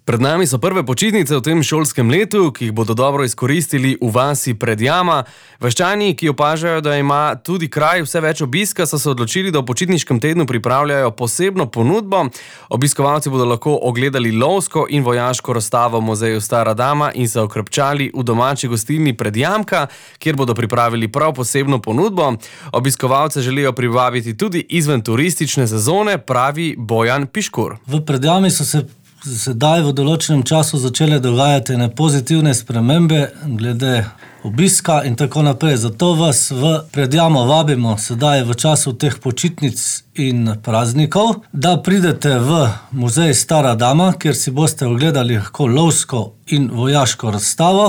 Pred nami so prve počitnice v tem šolskem letu, ki jih bodo dobro izkoristili v vasi Predjama. Vaščani, ki opažajo, da ima tudi kraj vse več obiska, so se odločili, da v počitniškem tednu pripravljajo posebno ponudbo. Obiskovalci bodo lahko ogledali lovsko in vojaško razstavo v muzeju Stara dama in se okrepčali v domači gostilni Predjamka, kjer bodo pripravili prav posebno ponudbo. Obiskovalce želijo privabiti tudi izven turistične sezone, pravi Bojan Piškur. V Predjami so se sedaj v določenem času začele dogajati pozitivne spremembe glede obiska in tako naprej. Zato vas v Predjamo vabimo sedaj v času teh počitnic in praznikov, da pridete v muzej Stara dama, kjer si boste ogledali lahko lovsko in vojaško razstavo.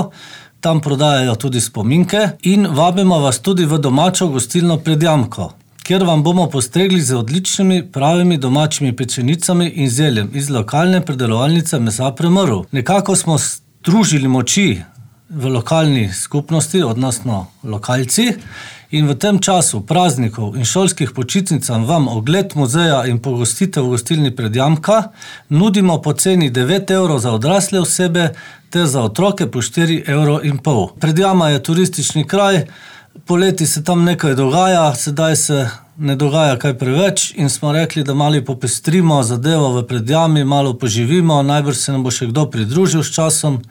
Tam prodajajo tudi spominke in vabimo vas tudi v domačo gostilno Predjamko, kjer vam bomo postregli z odličnimi, pravimi domačimi pečenicami in zeljem iz lokalne predelovalnice mesa Premrl. Nekako smo združili moči v lokalni skupnosti, odnosno lokalci, in v tem času praznikov in šolskih počitnicam vam ogled muzeja in pogostitev v gostilni Predjamka nudimo po ceni 9 € za odrasle osebe ter za otroke po 4,5 €. Predjama je turistični kraj, poleti se tam nekaj dogaja, sedaj se ne dogaja kaj preveč in smo rekli, da malo popestrimo zadevo v Predjami, malo poživimo, najbrž se nam bo še kdo pridružil s časom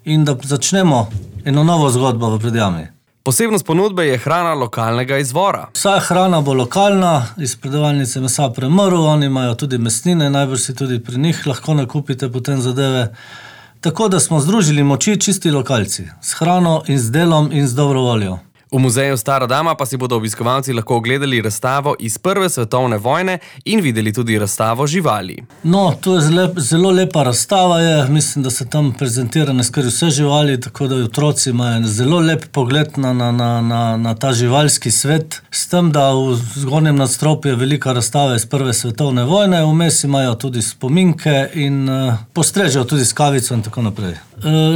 in da začnemo eno novo zgodbo v Predjami. Posebnost ponudbe je hrana lokalnega izvora. Vsa hrana bo lokalna, iz predelovalnice mesa Premrl, oni imajo tudi mesnine, najbrž si tudi pri njih lahko nakupite potem zadeve. Tako da smo združili moči čisti lokalci, s hrano in z delom in z dobro voljo. V muzeju Stara dama pa si bodo obiskovalci lahko ogledali razstavo iz Prve svetovne vojne in videli tudi razstavo živali. No, to je zelo lepa razstava je, mislim, da se tam prezentirane skoraj vse živali, tako da otroci imajo zelo lep pogled na ta živalski svet, s tem, da v zgornjem nadstropju je velika razstava iz Prve svetovne vojne, vmes imajo tudi spominke in postrežejo tudi s kavico in tako naprej.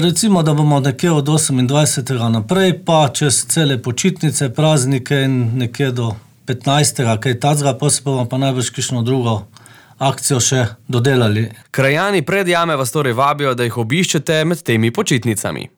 Recimo, da bomo nekje od 28. naprej, pa čez cele počitnice, praznike in nekje do 15. kaj tacga, potem bomo pa najbrž kakšno drugo akcijo še dodelali. Krajani Predjame vas torej vabijo, da jih obiščete med temi počitnicami.